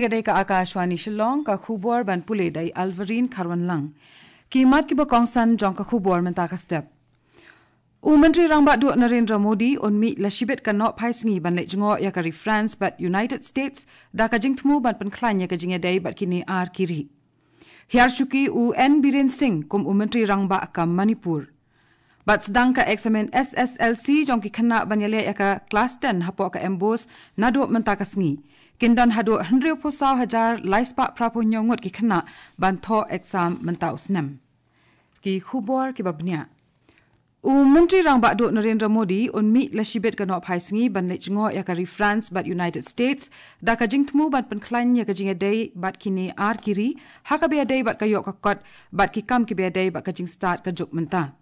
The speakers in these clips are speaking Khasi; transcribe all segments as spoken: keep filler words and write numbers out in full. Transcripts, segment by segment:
Ka dei ka Akashvani Shillong, ka khubor ban pule da i Alvarine Kharwanlang. Ki mat kiba kongsan jong ka khubor mynta ka step. U Myntri Rangbah Duh Narendra Modi un mih la shibit ka nohphai sngi ban leit jngoh ïa ka ri France bad United States da ka jingthmu ban pynkhlaiñ ïa ka jingïadei bad kine ar ki ri. Hiar shuki u N Biren Singh kum u Myntri Rangbah ka Manipur. Bad sdang ka eksamin S S L C jong ki khynnah ban ïaleh ïa ka klas ten hapoh ka MBOSE naduh mynta ka sngi. Kin don haduh hynriewphew saw hajar laispah phraphew hynñiew ngut ki khynnah ban thoh eksam mynta u snem. Ki khubor kiba bniah. U Myntri Rangbah Duh Narendra Modi un mih la shibit ka nohphai sngi ban leit jngoh ïa ka ri France bad United States da ka jingthmu ban pynkhlaiñ ïa ka jingïadei bad kine ar ki ri ha kaba ïadei bad ka ïoh ka kot bad ki kam kiba ïadei bad ka jingstad ka juk mynta.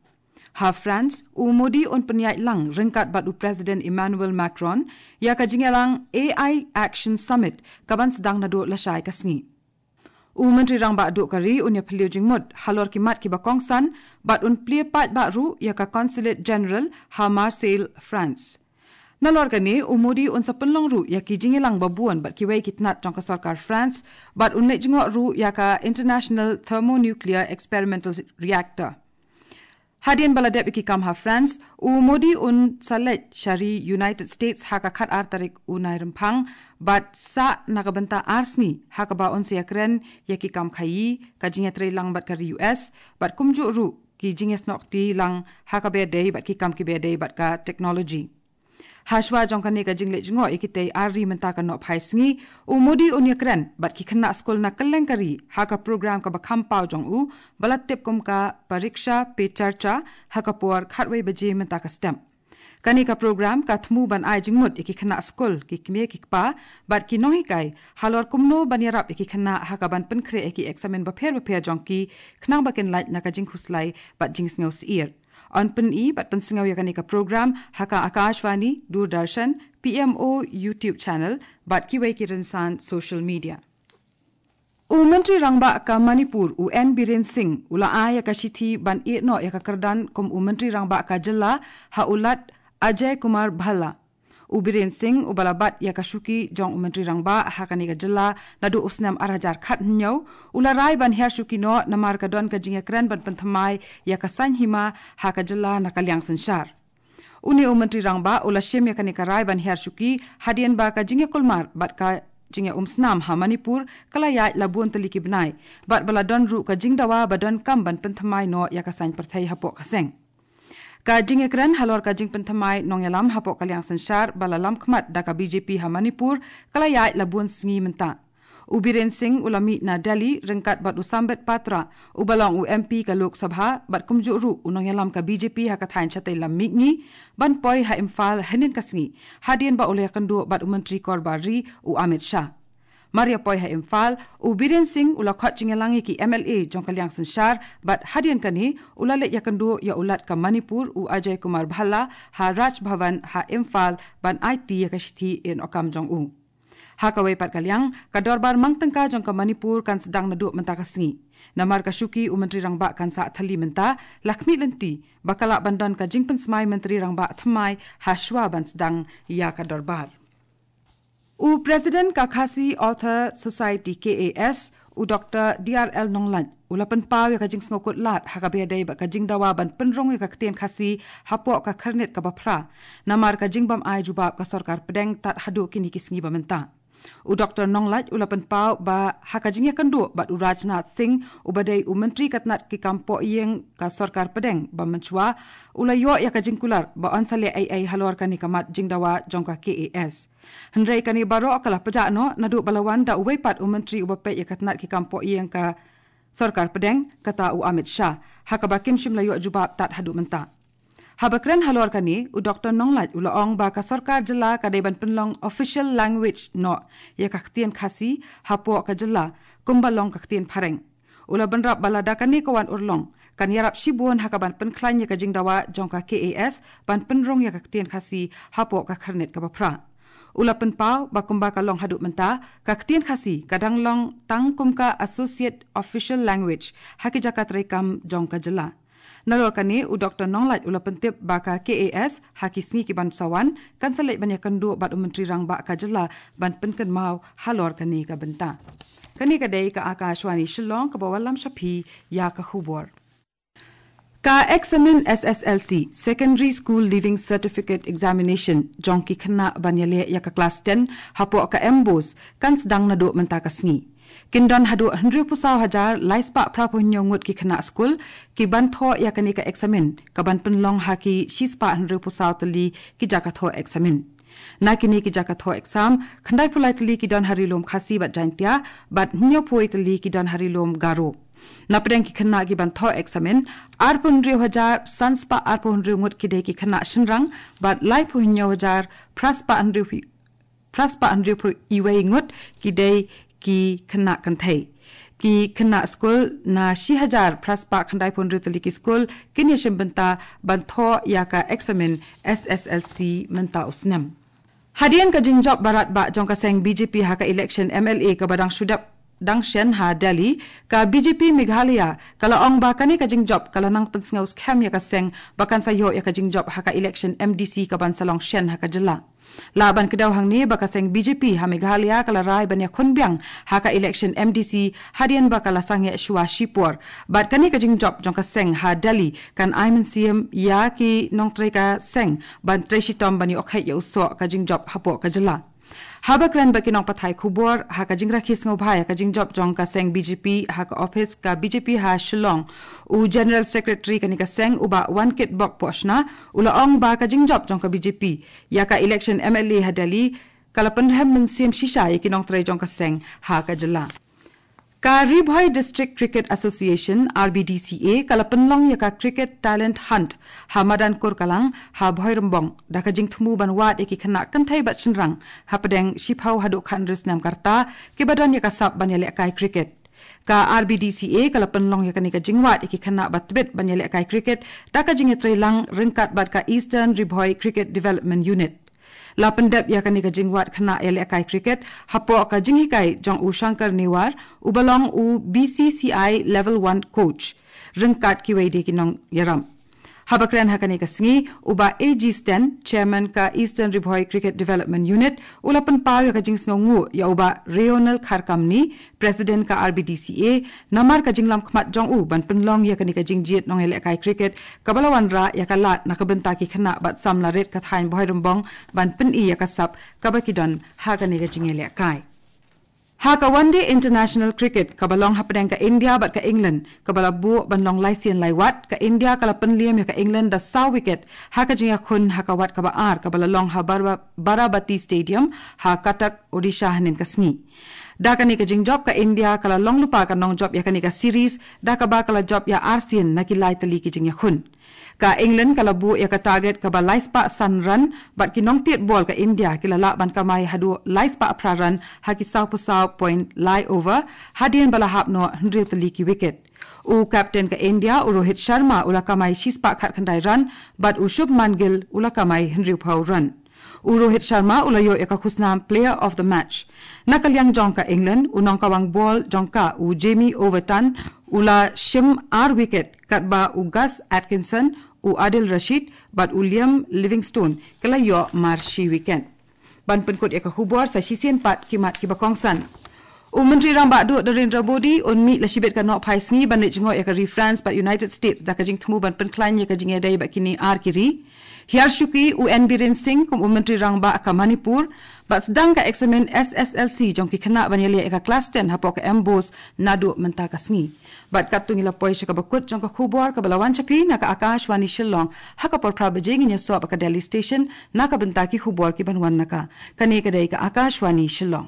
Ha France, u Modi un pynïaid lang ryngkat bad u President Emmanuel Macron ïa ka jingïalang A I Action Summit kaban sdang naduh lashai ka sngi. U Myntri Rangbah Duh ka ri un ïaphylliew jingmut halor ki mat kiba kongsan bad un plie paidbah ruh ïa ka Consulate General ha Marseille, France. Nalor kane, u Modi un sa pynlong ruh ïa ki jingïalang babun bad kiwei ki tnat jong ka sorkar France bad un leit jngoh ruh ïa ka International Thermonuclear Experimental Reactor. Hadien ba la dep ïa ki kam ha France, u Modi un sa leit sha ri United States ha ka khatar tarik u Nairymphang bad sah na ka bynta ar sngi ha kaba un sa ïakren ïa ki kam khaïi, ka jingïatreilang bad ka ri U S bad kumjuh ruh ki jingïasnoh kti lang ha kaba ïadei bad ki kam kiba ïadei bad ka technology. Hashwa jong kane ka jingleit jngoh ïa kitei ar ri mynta ka nohphai sngi, u Modi un ïakren bad ki khynnah skul na kylleng ka ri ha ka program kaba kham paw jong u ba la tip kum ka Pariksha Pe Charcha ha ka por khatwei baje mynta ka step. Kane ka program ka thmu ban ai jingmut ïa ki khynnah skul, ki kmie ki kpa bad ki nonghikai halor kumno ban ïarap ïa ki khynnah ha kaban pynkhreh ïa ki eksamin bapher bapher jong ki khnang ba kin lait na ka jingkhuslai bad jingsngew syier. Yn pyni bad pynsngew ïa kane ka program ha ka Akashvani, Doordarshan, P M O YouTube channel bad kiwei ki rynsan social media. U Myntri Rangbah ka Manipur u N Biren Singh u la ai ïa ka shithi ban ïehnoh ïa ka kyrdan kum u Myntri Rangbah ka jylla ha u Lat Ajay Kumar Bhalla. U Biren Singh uba la bat ïa ka shuki jong u Myntri Rangbah ha kane ka jylla naduh u snem ar hajar khathynñiew, u la rai ban hiar shuki noh namar ka don ka jingïakren ban pynthymmai ïa ka saiñ hima ha ka jylla na ka liang synshar. Une u Myntri Rangbah u la shim ïa kane ka rai ban hiar shuki hadien ba ka jingïakulmar bad ka jingïaumsnam ha Manipur ka la ïaid la bun tylli ki bnai bad ba la don ruh ka jingdawa ba donkam ban pynthymmai noh ïa ka saiñ pyrthei hapoh ka seng. Ka jingïakren halor ka jingpynthymmai nongïalam hapoh ka liang synshar ba la lamkhmat da ka B J P ha Manipur ka la ïaid la bun sngi mynta. U Biren Singh u la mih na Delhi ryngkat bad u Sambit Patra uba long u M P ka Lok Sabha bad kumjuh ruh u nongïalam ka B J P ha ka thaiñ shatei lam mihngi ban poi ha Imphal hynnin ka sngi hadien ba u la ïakynduh bad u Myntri Korbar Ri u Amit Shah. Mar ïa poi ha Imphal, u Biren Singh u la khot jingïalang ïa ki M L A jong ka liang synshar bad hadien kane u la leit ïakynduh ïa u Lat ka Manipur u Ajay Kumar Bhalla ha Raj Bhavan ha Imphal ban aiti ïa ka shithi ïehnoh kam jong u. Ha kawei pat ka liang, ka dorbar mang tyngka jong ka Manipur kan sdang naduh mynta ka sngi. Namar ka shuki u Myntri Rangbah kan sah thylli mynta, la khmih lynti ba ka lah ban don ka jingpynsmai Myntri Rangbah thymmai hashwa ban sdang ïa ka dorbar. U President ka Khasi Author Society, K A S, u Doctor D R L Nonglait u la pynpaw ïa ka jingsngewkut lad ha kaba ïadei bad ka jingdawa ban pynrung ïa ka ktien Khasi hapoh ka khyrnit kaba phra namar ka jingbym ai jubab ka sorkar pdeng tad haduh kine ki sngi ba mynta. U Doctor Nonglait u la pynpaw ba ha ka jingïakynduh bad u Rajnath Singh uba dei u Myntri ka tnat ki kam pohïing ka sorkar pdeng ba mynshuwa, u la ïoh ïa ka jingkular ba yn sa leh ei ei halor kane ka mat jingdawa jong ka K A S. Hynrei kane baroh ka la pjah noh naduh ba la wan da uwei pat u Myntri uba peit ïa ka tnat ki kam pohïing ka sorkar pdeng, kata u Amit Shah, ha kaba kim shym la ïoh jubab tad haduh mynta. Haba kren halor kane, u Doctor Nonglait u la ong ba ka sorkar jylla ka dei ban pynlong official language noh ïa ka ktien Khasi hapoh ka jylla kumba long ka ktien phareng. U la bynrap ba lada kane ka wan urlong kan ïarap shibun ha kaban pynkhlaiñ ïa ka jingdawa jong ka K A S ban pynrung ïa ka ktien Khasi hapoh ka khyrnit kaba phra. U la pynpaw ba kumba ka long haduh mynta, ka ktien Khasi ka dang long tang kum ka associate official language ha ki jaka treikam jong ka jylla. Nalor kane u Dr Nonglait u la pyntip ba ka K A S ha ki sngi ki ban sa wan kan sa leit ban ïakynduh bad u Myntri Rangbah ka jylla ban pynkynmaw halor kane ka bynta. Kane ka dei ka Akashvani Shillong kaba wallam sha phi ïa ka khubor. Ka eksamin S S L C, Secondary School Leaving Certificate Examination, jong ki khynnah ban ïaleh ïa ka klas ten hapoh ka MBOSE, kan sdang naduh mynta ka sngi. Kin don haduh hynriewphew saw hajar laispah phraphew hynñiew ngut ki khynnah skul ki ban thoh ïa kane ka eksamin, ka ban pynlong ha ki shispah hynriewphew saw tylli ki jaka thoh eksamin. Na kine ki jaka thoh exam, khyndaiphew lai tylli ki don ha ri lum Khasi bad Jaintia, bad hynñiewphew tylli ki don ha ri lum Garo. Na pdeng ki khynnah ki ban thoh eksamin, arphew hynriew hajar sanspah arphew hynriew ngut ki dei ki khynnah shynrang, bad laiphew hynñiew hajar phraspah hynriew phi-, phraspah hynriewphew iwei ngut ki dei ki khynnah kynthei. Ki khynnah skul na shi hajar phraspah khyndaiphew hynriew tylli ki skul kin ïashim bynta ban thoh ïa ka eksamin S S L C mynta u snem. Hadien ka jingjop barat bah jong ka seng B J P ha ka election M L A kaba dang shu dep dang shen ha Delhi, ka B J P Meghalaya ka la ong ba kane ka jingjop ka la nang pynsngew skhem ïa ka seng ba kan sa ïoh ïa ka jingjop ha ka election M D C ka ban sa long shen ha ka jylla. Lah ban kdew hangne ba ka seng B J P ha Meghalaya ka la rai ban ïakhun biang ha ka election M D C hadien ba ka la sangeh shuwa shipor. Bad kane ka jingjop jong ka seng ha Delhi kan ai mynsiem ïa ki nongtrei ka seng ban trei shitom ban ïoh kheit ïa u soh ka jingjop hapoh ka jylla. Haba kren bad ki nongpathai khubor ha ka jingrakhe sngewbha ïa ka jingjop jong ka seng B J P ha ka ophis ka B J P ha Shillong, u General Secretary kane ka seng u Bah Wankitbok Pohshna u la ong ba ka jingjop jong ka B J P ïa ka election M L A ha Delhi ka la pynrhem mynsiem shisha ïa ki nongtrei jong ka seng ha ka jylla. Ka Ri Bhoi District Cricket Association, R B D C A, ka la pynlong ïa ka Cricket Talent Hunt ha madan Kurkalang ha Bhoirymbong da ka jingthmu ban wad ïa ki khynnah kynthei bad shynrang hapdeng shiphew haduh khathynriew snem ka rta kiba don ïa ka sap ban ïalehkai cricket. Ka R B D C A ka la pynlong ïa kane ka jingwad ïa ki khynnah ba tbit ban ïalehkai cricket da ka jingïatreilang ryngkat bad ka Eastern Ri Bhoi Cricket Development Unit. La pyndep ïa kane ka jingwad khynnah ïalehkai cricket hapoh ka jinghikai jong u Shankar Newar uba long u B C C I Level One Coach ryngkat kiwei de ki nongïarap. Haba kren ha kane ka sngi, u Bah A G Sten, Chairman ka Eastern Ri Bhoi Cricket Development Unit, u la pynpaw ïa ka jingsngewnguh ïa u Bah Reonel Kharkamni, President ka R B D C A, namar ka jinglam khmat jong u ban pynlong ïa kane ka jingjied nongïalehkai cricket kaba la wanrah ïa ka lad na ka bynta ki khynnah bad samla rit ka thaiñ Bhoirymbong ban pyni ïa ka sap kaba ki don ha kane ka jingïalehkai. Ha ka One Day International Cricket kaba long hapdeng ka India bad ka England kaba la buh ban long lai sien lai wat, ka India ka la pynliem ïa ka England da saw wicket ha ka jingïakhun ha ka wat kaba ar kaba la long ha Barba-, Barabati Stadium ha Cuttack, Odisha hynnin ka sngi. Da kane ka jingjop ka India ka la long lypa ka nongjop ïa kane ka series da kaba ka la jop ïa arsien na ki lai tylli ki jingïakhun. Ka England ka la buh ïa ka target kaba laispah san run bad ki nongtied bol ka India ki la lah ban kamai haduh laispah phra run ha ki sawphew saw point lai over hadien ba la hap noh hynriew tylli ki wicket. U captain ka India u Rohit Sharma u la kamai shispah khatkhyndai run bad u Shubman Gill u la kamai hynriewphew run. U Rohit Sharma u la ïoh ïa ka khusnam Player of the Match. Na ka liang jong ka England, u nongkawang bol jong ka u Jamie Overton u la shim ar wicket katba u Gus Atkinson, u Adil Rashid bad u Liam Livingstone ki la ïoh mar shi wicket. Ban pynkut ïa ka khubor sa shisien pat ki mat kiba kongsan. U Myntri Rangbah Duh Narendra Modi un mih la shibit ka nohphai sngi ban leit jngoh ïa ka ri France bad United States da ka jingthmu ban pynkhlaiñ ïa ka jingïadei bad kine ar ki ri. Hiar shuki u N Biren Singh kum u Myntri Rangbah ka Manipur bad sdang ka eksamin S S L C jong ki khynnah ban ïaleh ïa ka klas ten hapoh ka MBOSE naduh mynta ka sngi. Bad katto ngi la poi sha kaba kut jong ka khubor kaba la wan sha phi na ka Akashvani Shillong, ha ka por phra baje ngin ïasoh bad ka Delhi Station na ka bynta ki khubor ki ban wan na ka. Kane ka dei ka Akashvani Shillong.